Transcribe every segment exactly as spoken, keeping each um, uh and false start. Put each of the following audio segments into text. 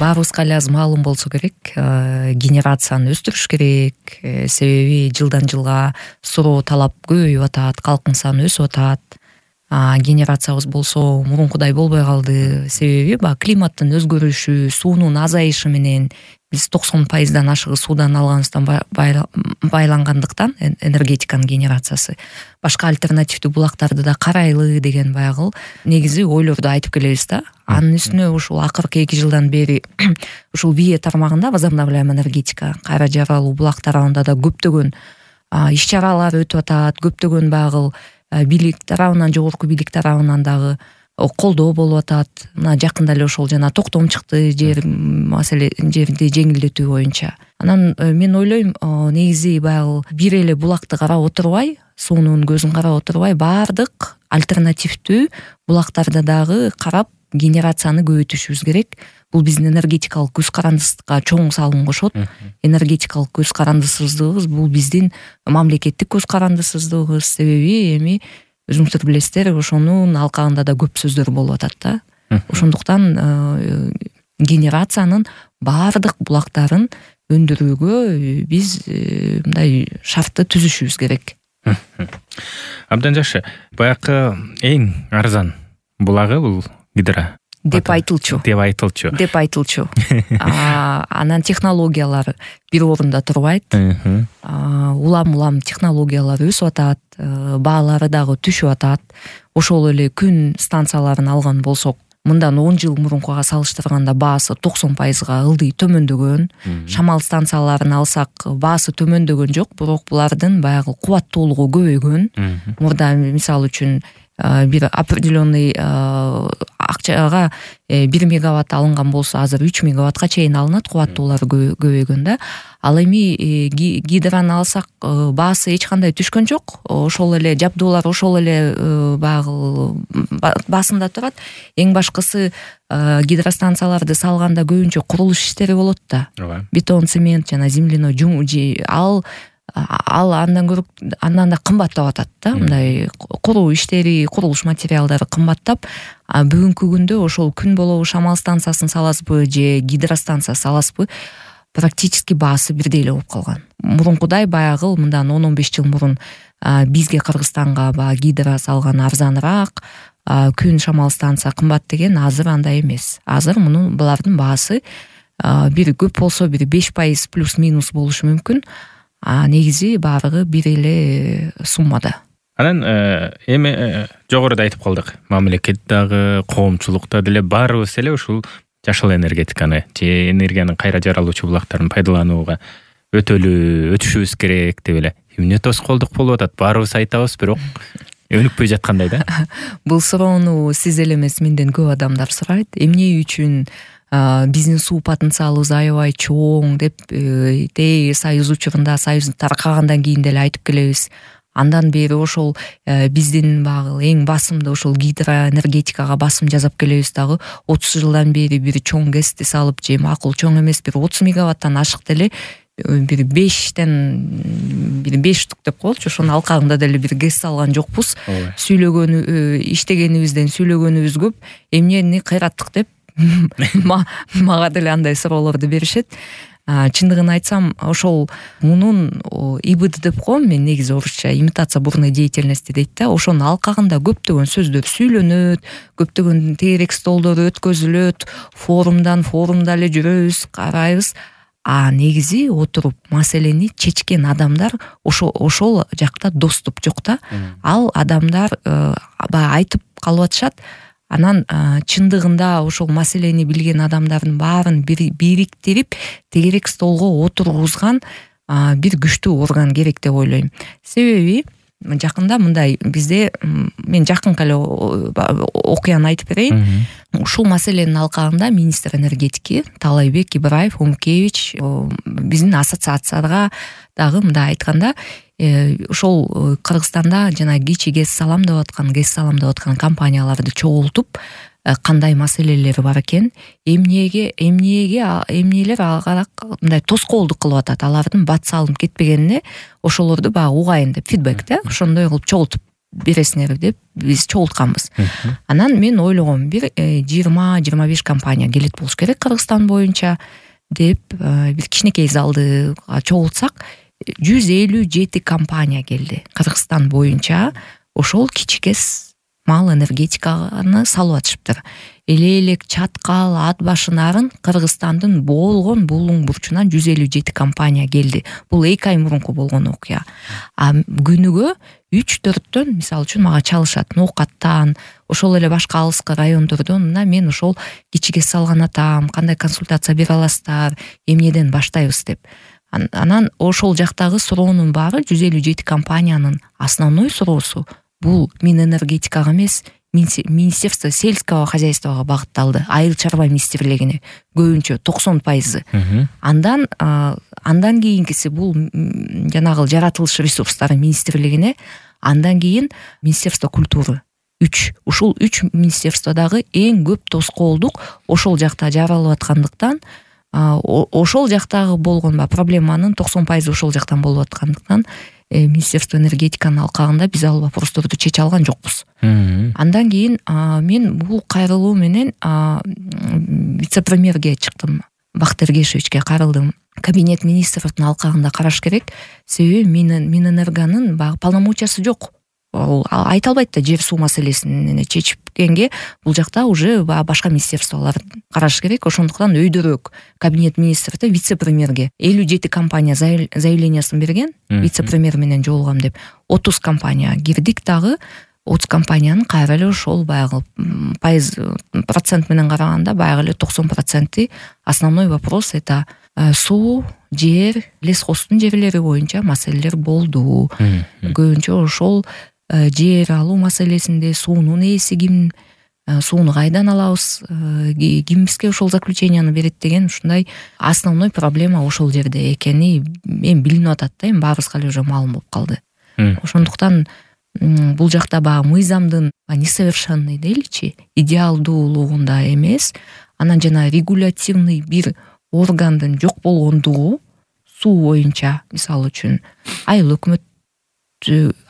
баарыбызга эле азыр маалым болсо керек, генерацияны өстүрүш керек, себеби жылдан жылга суроо талап көбөйүп атат, калктын саны өсүп атат. Генерациябыз болсо мурункудай болбой калды, себеби баягы климаттын өзгөрүшү, суунун азайышы менен биз токсон пайыздан ашыгы суудан алганыбыздан байлангандыктан энергетиканын генерациясы башка альтернативдүү булактарды да карайлы деген баягы негизи ойлорду айтып келебиз да. Анын үстүнө ушул акыркы эки жылдан бери ушул вие тармагында возобновляемая энергетика, кайра жаралуу булак тарабында да көптөгөн иш чаралар өтүп атат, көптөгөн баягы бийлик тарабынан, жогорку бийлик тарабынан дагы колдоо болуп атат. Мына жакында эле ошол жана токтом чыкты жер маселе жерди жеңилдетүү боюнча. Анан мен ойлойм, негизи баягы бир эле булакты карап отурбай, суунун көзүн карап отурбай, баардык альтернативдүү булактарды дагы карап генерацияны көбөйтүшүбүз керек. Бул биздин энергетикалык көз карандысызга чоң салым кошот. Энергетикалык көз карандысыздыгыбыз бул биздин мамлекеттик көз карандысыздыгыбыз, себеби эми өзүңүздөр билесиздер, ошонун алкагында да көп сөздөр болуп атат да. Ошондуктан генерациянын баардык булактарын өндүрүүгө биз мындай шартты түзүшүбүз керек. Абдан жакшы. Баягы эң арзан булагы бул гидро деп айтылчу. Деп айтылчу. Деп айтылчу. Анан технологиялар бир орунда турбайт. Улам-улам технологиялар өсүп атат, баалары дагы түшүп атат. Ошол эле күн станцияларын алган болсок, мындан он жыл мурункуга салыштырганда баасы токсон пайызга ылдый төмөндөгөн. Шамал станцияларын алсак, баасы төмөндөгөн жок, бирок булардын баягы кубаттуулугу көбөйгөн. Мурда мисалы үчүн бир определенный акчага бир мегаватт алынган болсо, азыр үч мегаваттка чейин алынат, кубаттуулары көбөйгөн да. Ал эми гидроны алсак, баасы эч кандай түшкөн жок. Ошол эле жабдуулар ошол эле баягы басында турат. Эң башкысы гидростанцияларды салганда көбүнчө курулуш иштери болот да. Бетон, цемент жана земляной ал ал андан көрүп андан да кымбаттап атат да. Мындай куруу иштери, курулуш материалдары кымбаттап, бүгүнкү күндө ошол күн болобу шамал станциясын саласызбы же гидростанция саласызбы, практически баасы бирдей эле болуп калган. Мурункудай баягы мындан он он беш жыл мурун бизге Кыргызстанга баягы гидро салган арзаныраак, күн шамал станция кымбат деген азыр андай эмес. Азыр мунун булардын баасы бир көп болсо бир беш пайыз плюс-минус болушу мүмкүн. А негизи баардыгы бир эле суммада. Анан эми жогоруда айтып калдык. Мамлекет дагы, коомчулукта деле баарыбыз эле ушул жашыл энергетиканы же энергиянын кайра жаралуучу булактарын пайдаланууга өтөлүү өтүшүбүз керек деп эле. Эмне тоскоолдук болуп атат? Баарыбыз айтабыз, бирок өнүкпөй жаткандай да. Бул суроону сиз эле эмес, менден көп адамдар сурайт. Эмне үчүн биздин суу потенциалыбыз аябай чоң деп тээ союз учурунда, союз таркагандан кийин деле айтып келебиз. Андан бери ошол биздин багы эң басымды ошол гидроэнергетикага басым жасап келебиз дагы. отуз жылдан бери бир чоң гэсти салып, же макул чоң эмес, бир отуз мегаваттан ашык деле бир бештен бир беш штук деп коелучу, ошонун алкагында деле бир гэс салган жокпуз. Сүйлөгөн иштегенибизден сүйлөгөнүбүз көп. Эмнени кыйраттык деп мага деле андай суроолорду беришет. Чындыгын айтсам, ошол мунун и бэ дэ деп коем мен, негизи орусча имитация бурной деятельности дейт да. Ошонун алкагында көптөгөн сөздөр сүйлөнөт, көптөгөн тегерек столдор өткөзүлөт, форумдан форумда эле жүрөбүз, карайбыз. А негизи отуруп маселени чечкен адамдар ошол ошол жакта доступ жок да. Ал адамдар баягы айтып калып атышат. Анан чындыгында ошол маселени билген адамдардын баарын бириктирип тегерек столго отургузган бир күчтүү орган керек деп ойлойм. Себеби жакында мындай бизде, мен жакынкы эле окуяны айтып берейин. Ушул маселенин алкагында министр энергетики Таалайбек Ибраев Умкевич биздин ассоциацияга дагы мындай айтканда, ошол Кыргызстанда жана кичи гэс салам деп аткан, гэс салам деп аткан компанияларды чогултуп, кандай маселелери бар экен, эмнеге эмнеге эмнелер ага мындай тоскоолдук кылып атат, алардын бат салынып кетпегенине ошолорду баягы угайын деп фидбек да, ошондой кылып чогултуп бересиңер деп биз чогултканбыз. Анан мен ойлогом, бир жыйырма жыйырма беш компания келет болуш керек Кыргызстан боюнча деп бир кичинекей залды чогултсак, жүз элүү жети компания келди Кыргызстан боюнча. Ошол кичикес мал энергетиканы салып атышыптыр. Эле элек чаткал, ат башынарын Кыргызстандын болгон булуң бурчунан жүз элүү жети компания келди. Бул эки ай мурунку болгон окуя. А күнүгө үч төрттөн мисалы үчүн мага чалышат. Ноокаттан, ошол эле башка алыскы райондордон, мына мен ошол кичикес салган атам, кандай консультация бере аласыздар, эмнеден баштайбыз деп. Анан ошол жактагы суроонун баары жүз элүү жети компаниянын основной суроосу бул Минэнергетикага эмес, Министерство сельского хозяйствага багытталды. Айыл чарба министрлигине көбүнчө токсон пайызы. Андан андан кийинкиси бул жанагы жаратылыш ресурстары министрлигине, андан кийин Министерство культуры. үч. Ушул үч министерстводагы эң көп тоскоолдук ошол жакта жаралып аткандыктан, ошол жактагы болгон проблеманын токсон пайызы ошол жактан болуп аткандыктан Министерство энергетиканын алкагында биз ал вопросторду чече алган жокпуз. Андан кийин мен бул кайрылуу менен вице-премьерге чыктым. Бакыт Эргешевичке кайрылдым. Кабинет министрдин алкагында караш керек. Себеби Минэнергонун баягы полномочиясы жок. Ал айта албайт да жер суу маселесин чечипкенге, бул жакта уже башка министерстволор караш керек. Ошондуктан өйдөрөөк кабинет министрде вице-премьерге элүү жети компания заявлениясын берген, вице-премьер менен жолугам деп. отуз компания кирдик дагы. отуз компаниянын кайра эле ошол баягы пайыз процент менен караганда баягы эле токсон проценти основной вопрос это суу, жер, лесхоздун жерлери боюнча маселелер болду. Көбүнчө ошол жер алуу маселесинде суунун ээси ким, сууну кайдан алабыз, ким бизге ошол заключенияны берет деген ушундай основной проблема ошол жерде экени эми билинип атат да, эми баарыбызга эле уже маалым болуп калды. Ошондуктан бул жакта баягы мыйзамдын несовершенный дейличи, идеалдуулугунда эмес, анан жана регулятивный бир органдын жок болгондугу суу боюнча, мисалы үчүн айыл өкмөт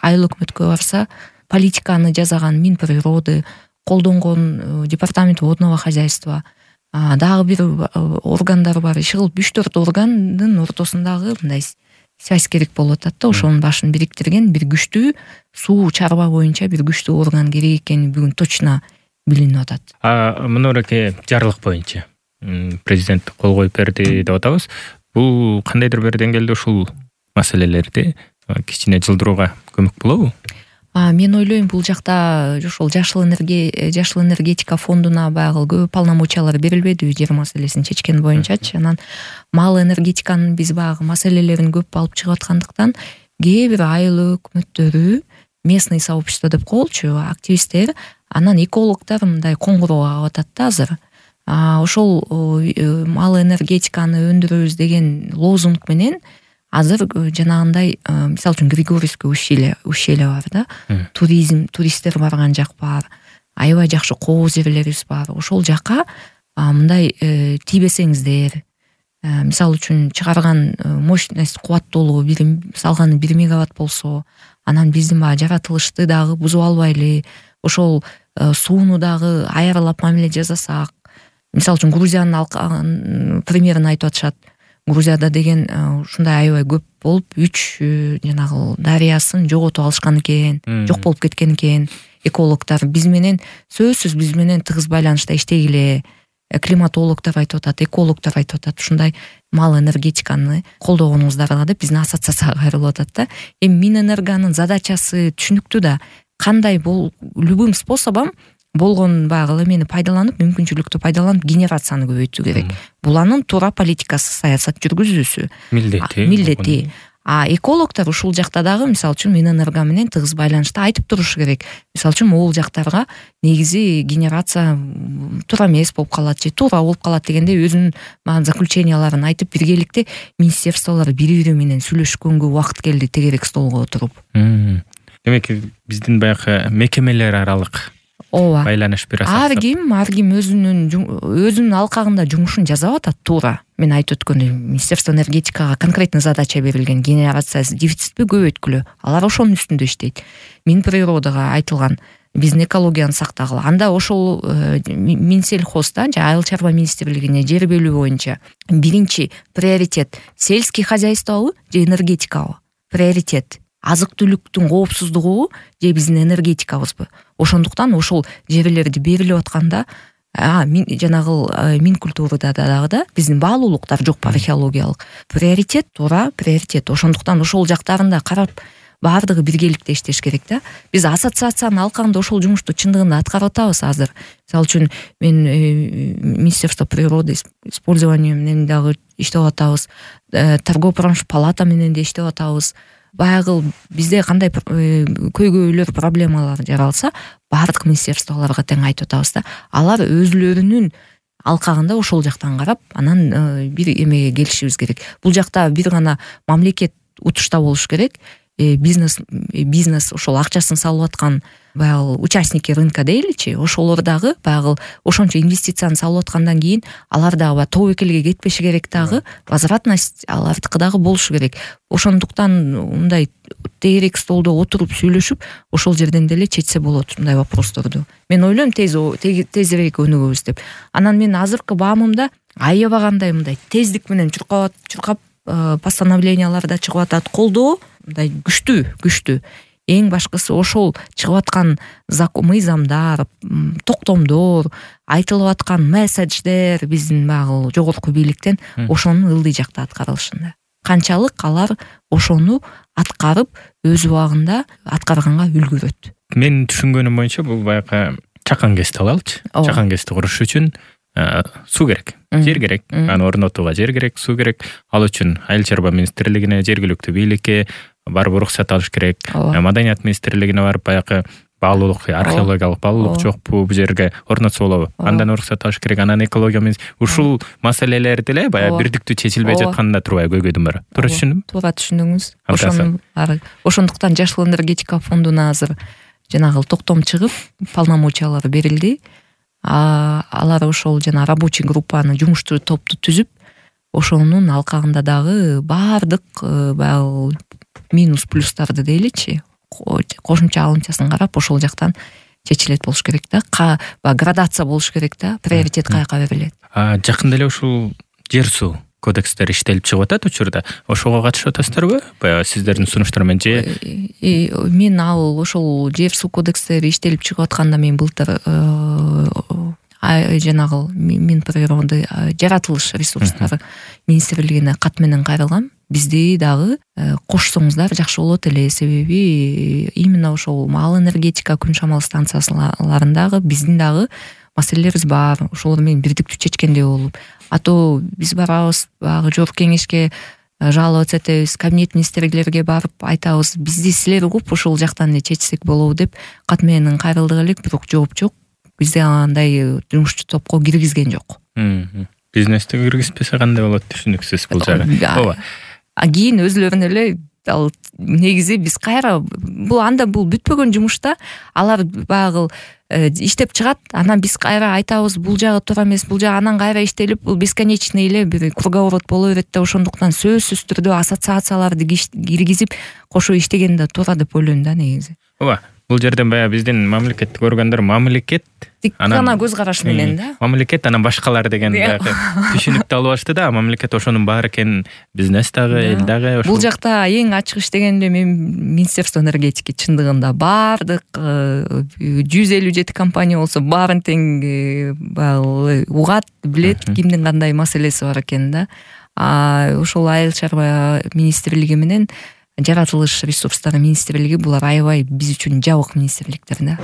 айыл өкмөткө барса, политиканы жасаган Минприроды, колдонгон департамент водного хозяйства, дагы бир органдар бар. Иши кылып үч төрт органдын ортосундагы мындай связь керек болуп атат да. Ошонун башын бириктирген бир күчтүү суу чарба боюнча бир күчтүү орган керек экени бүгүн точно билинип атат. А мынураке жарлык боюнча президент кол коюп берди деп атабыз. Бул кандайдыр бир деңгээлде ушул маселелерди кичине жылдырууга көмөк болобу? Мен ойлойм, бул жакта ошол жашыл энергия, жашыл энергетика фондуна баягы көп полномочиялар берилбеди жер маселесин чечкен боюнчачы. Анан мал энергетиканын биз баягы маселелерин көп алып чыгып аткандыктан кээ бир айыл өкмөттөрү, местный сообщество деп коелучу, активисттер, анан экологдор мындай коңгуроо кагып атат да азыр. Ошол мал энергетиканы өндүрөбүз деген лозунг менен азыр жанагындай, мисалы үчүн Григорьевский ущелье ущелье бар да, туризм, туристтер барган жак бар, аябай жакшы кооз жерлерибиз бар. Ошол жака мындай тийбесеңиздер, мисалы үчүн чыгарган мощность кубаттуулугу бир салганы бир мегаватт болсо, анан биздин баягы жаратылышты дагы бузуп албайлы, ошол сууну дагы аяралап мамиле жасасак, мисалы үчүн Грузиянын примерин айтып атышат. Грузияда деген ушундай аябай көп болуп, үч жанагы дарыясын жоготуп алышкан экен, жок болуп кеткен экен. Экологдор биз менен сөзсүз биз менен тыгыз байланышта иштегиле. Климатологдор айтып атат, экологдор айтып атат, ушундай мал энергетиканы колдогонуңуздарга деп биздин ассоциацияга кайрылып атат да. Эми Минэнергонун задачасы түшүнүктүү да. Кандай бул любым способом болгон баягы эмени пайдаланып, мүмкүнчүлүктү пайдаланып генерацияны көбөйтүү керек. Бул анын туура политикасы, саясат жүргүзүүсү. Милдети. Милдети. А экологдор ушул жакта дагы мисалы үчүн Минэнерго менен тыгыз байланышта айтып туруш керек. Мисалы үчүн могул жактарга негизи генерация туура эмес болуп калат же туура болуп калат дегенде өзүнүн заключенияларын айтып, биргеликте министерстволор бири-бири менен сүйлөшкөнгө убакыт келди тегерек столго отуруп. Демек биздин баягы мекемелер аралык ооба байланыш бир аз ар ким ар ким өзүнүн өзүнүн алкагында жумушун жасап атат. Туура мен айтып өткөндөй Министерство энергетикага конкретный задача берилген, генерация дефицитпи көбөйткүлө, алар ошонун үстүндө иштейт. Минприродага айтылган биздин экологияны сактагыла. Анда ошол Минсельхозда же Айыл чарба министрлигине жер бөлүү боюнча биринчи приоритет сельский хозяйствобу же энергетикабы? Приоритет азык-түлүктүн коопсуздугубу же биздин энергетикабызбы? Ошондуктан ошол жерлерди берилип атканда а мин жанагы Минкультурада дагы да биздин баалуулуктар жокпу, археологиялык приоритет, туура приоритет. Ошондуктан ошол жактарында карап баардыгы биргеликте иштеш керек да. Биз ассоциациянын алкагында ошол жумушту чындыгында аткарып атабыз азыр. Мисалы үчүн мен Министерство природы использования менен дагы иштеп атабыз, торгово-промышловый палата менен да иштеп атабыз. Баягы бизде кандай көйгөйлөр, проблемалар жаралса, баардык министерстволорго тең айтып атабыз да. Алар өзлөрүнүн алкагында ошол жактан карап, анан бир эмеге келишибиз керек. Бул жакта бир гана мамлекет утушта болуш керек. Бизнес бизнес ошол акчасын салып аткан баягы участники рынка дейличи, ошолор дагы баягы ошончо инвестицияны салып аткандан кийин алар дагы тобокелге кетпеши керек дагы, возвратность алардыкы дагы болушу керек. Ошондуктан мындай тегерек столдо отуруп сүйлөшүп, ошол жерден деле чечсе болот мындай вопросторду. Мен ойлойм тез тезирээк өнүгөбүз деп. Анан мен азыркы баамымда аябагандай мындай тездик менен чуркап чуркап постановленияларда чыгып атат, колдоо мындай күчтүү, күчтүү. Эң башкысы ошол чыгып аткан мыйзамдар, токтомдор, айтылып аткан месседждер биздин баягы жогорку бийликтен ошонун ылдый жакта аткарылышында. Канчалык алар ошону аткарып, өз убагында аткарганга үлгүрөт. Мен түшүнгөнүм боюнча бул баягы чакан кести алалычы. Чакан кести куруш үчүн суу керек, жер керек, аны орнотууга жер керек, суу керек. Ал үчүн Айыл чарба министрлигине, жергиликтүү бийликке барып уруксат алыш керек. Маданият министрлигине барып баягы баалуулук, археологиялык баалуулук жокпу, бул жерге орнотсо болобу? Андан уруксат алыш керек. Анан экология ушул маселелер деле баягы бирдиктүү чечилбей жатканда турбайбы көйгөйдүм бар. Туура түшүндүмбү? Туура түшүндүңүз. Ошону ошондуктан Жашыл энергетика фондуна азыр жанагы токтом чыгып, полномочиялар берилди. Алар ошол жана рабочий группаны, жумуштуу топту түзүп, ошонун алкагында дагы баардык баягы минус плюстарды дейличи, кошумча алымчасын карап ошол жактан чечилет болуш керек да. Градация болуш керек да, приоритет каяка берилет. Жакында эле ушул жер суу кодекстер иштелип чыгып атат учурда. Ошого катышып атасыздарбы? Баягы сиздердин сунуштар менен же мен ал ошол жер суу кодекстери иштелип чыгып атканда мен былтыр жанагы Минприроды жаратылыш ресурстары министрлигине кат менен кайрылгам. Бизди дагы кошсоңуздар жакшы болот эле, себеби именно ошол маал энергетика, күн шамал станцияларындагы биздин дагы маселелерибиз бар. Ошолор менен бирдиктүү чечкендей болуп. А то биз барабыз баягы жогорку кеңешке жаловаться этебиз, кабинет министрлерге барып айтабыз, бизди силер угуп ошол жактан эле чечсек болобу деп кат менен кайрылдык элек, бирок жооп жок. Бизде андай жумушчу топко киргизген жок. Бизнесте киргизбесе кандай болот, түшүнүксүз бул жагы. Ооба. А кийин өзлөрүнө эле ал негизи биз кайра бул анда бул бүтпөгөн жумушта алар баягы иштеп чыгат, анан биз кайра айтабыз бул жагы туура эмес, бул жагы анан кайра иштелип, бул бесконечный эле бир круговорот боло берет да. Ошондуктан сөзсүз түрдө ассоциацияларды киргизип кошо иштеген да туура деп ойлойм да негизи. Ооба. Бул жерден баягы биздин мамлекеттик органдар мамлекет анан көз караш менен да. Мамлекет анан башкалар деген баягы түшүнүктү алып алышты да. Мамлекет ошонун баары экен, бизнес дагы, эл дагы. Бул жакта эң ачык иштеген эле мен Министерство энергетики чындыгында баардык жүз элүү жети компания болсо баарын тең баягы угат, билет кимдин кандай маселеси бар экенин да. А ошол Айыл чарба министрлиги менен жаратылыш ресурстары министрлиги булар аябай биз үчүн жабык министрликтер да.